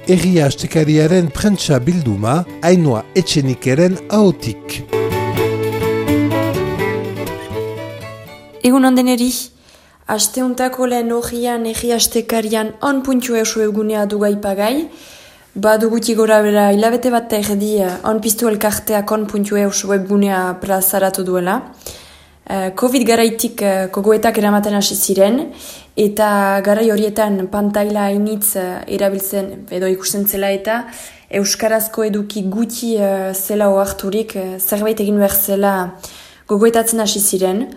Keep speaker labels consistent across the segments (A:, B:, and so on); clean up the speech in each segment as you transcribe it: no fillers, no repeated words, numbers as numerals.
A: Egia astekariaren prentsa bilduma, Ainhoa Etxenikeren ahotik.
B: Egun ondeneri, asteuntako lehen horian egia astekarian on.eu webgunea dugaipagai, baduguti gora bera hilabete bat erdi on piztu elkarteak on.eu webgunea plazaratu duela. Covid garaitik gogoetak eramaten hasi ziren, eta garai horietan pantaila hainitz erabiltzen edo ikusten zela eta euskarazko eduki guti zela oharturik zerbait egin behar zela gogoetatzen hasi ziren.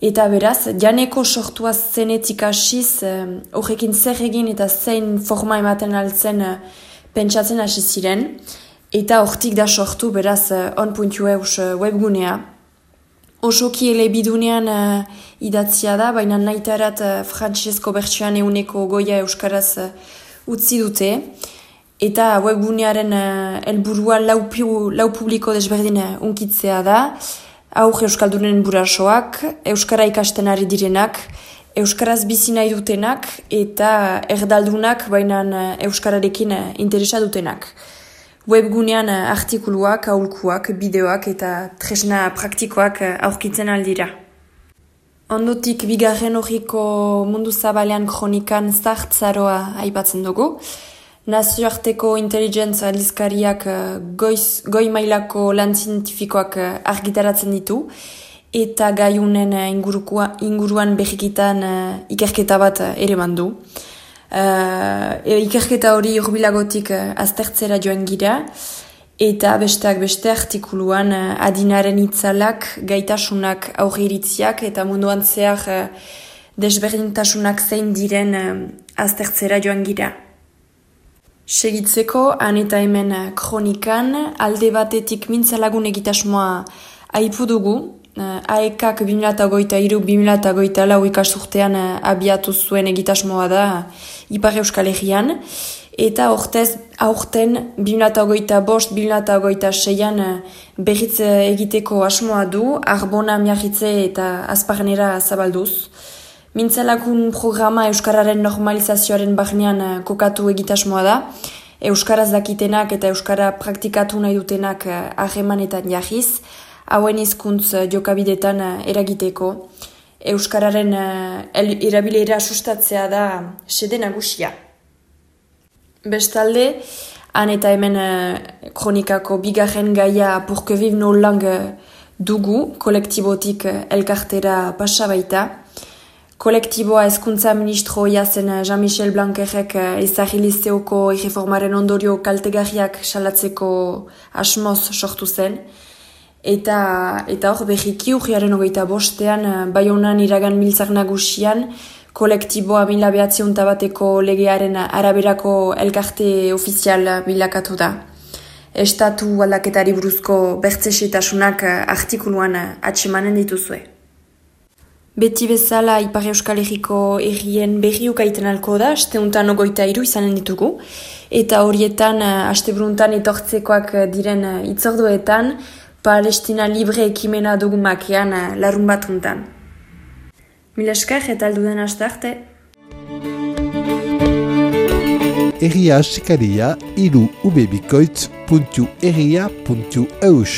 B: Eta beraz, janeko sortua zenetik hasiz horrekin zer egin eta zein forma ematen altzen pentsatzen hasi ziren. Eta hortik da sortu beraz on.eu webgunea. Osoki elebidunean idatzia da, baina nahitarat frantsesko bertsioan euneko goia euskaraz utzi dute. Eta webgunearen helburua lau publiko desberdin unkitzea da. Aur euskaldunen burasoak, euskara ikasten ari direnak, euskaraz bizi nahi dutenak eta erdaldunak baina euskararekin interesa dutenak. Webgunean artikuluak, aholkuak, bideoak eta tresna praktikoak aurkitzen aldira. Ondotik bigarren horiko mundu zabalean kronikan zartzaroa aipatzen dugu. Nazioarteko intelligence aldizkariak goi mailako lan zientifikoak argitaratzen ditu eta gaiunen inguruan behikitan ikerketa bat ere mandu. Ikerketa hori urbilagotik aztertzera joan gira eta besteak beste artikuluan adinaren itzalak, gaitasunak, aurreiritziak eta munduan zehar desberdintasunak zein diren aztertzera joan gira. Segitzeko, han eta hemen kronikan, alde batetik mintzalagun egitasmoa aipu dugu. AEKak 2023-2024 ikasurtean abiatu zuen egitasmoa da Ipar Euskal Herrian. Eta aurten 2025-2026an berriz egiteko asmoa du, Arbona, Miarritze eta Azparnera zabalduz. Mintzalakun programa Euskararen normalizazioaren barnean kokatu egitasmoa da. Euskaraz dakitenak eta Euskara praktikatu nahi dutenak harremanetan jarriz, hauen hizkuntz jokabidetan eragiteko. Euskararen erabilera sustatzea da xede nagusia. Bestalde, han eta hemen kronikako bigarren gaia Pour que vive nos langues dugu, kolektibotik elkartera pasa baita. Kolektiboa hezkuntza ministroia zen Jean-Michel Blanquerrek ezagri lizeoko erreformaren ondorio kaltegarriak salatzeko asmoz sortu zen. Eta hor berriki urriaren 25 Baionan iragan biltzar nagusian kolektiboa 1901 legearen araberako elkarte ofizial bilakatu da. Estatu aldaketari buruzko bertzexetasunak artikuluan atsemanen dituzue. Beti bezala Ipar Euskal Herriko herrien berri ukaiten alko da, asteuntan 23 izanen ditugu. Eta horietan, asteburuntan etortzekoak diren itzorduetan, Palestina libre ekimena dugu makean larun bat untan. Mila esker eta alduden aste arte.
A: Egia astekaria, ubebikoitz.egia.eus.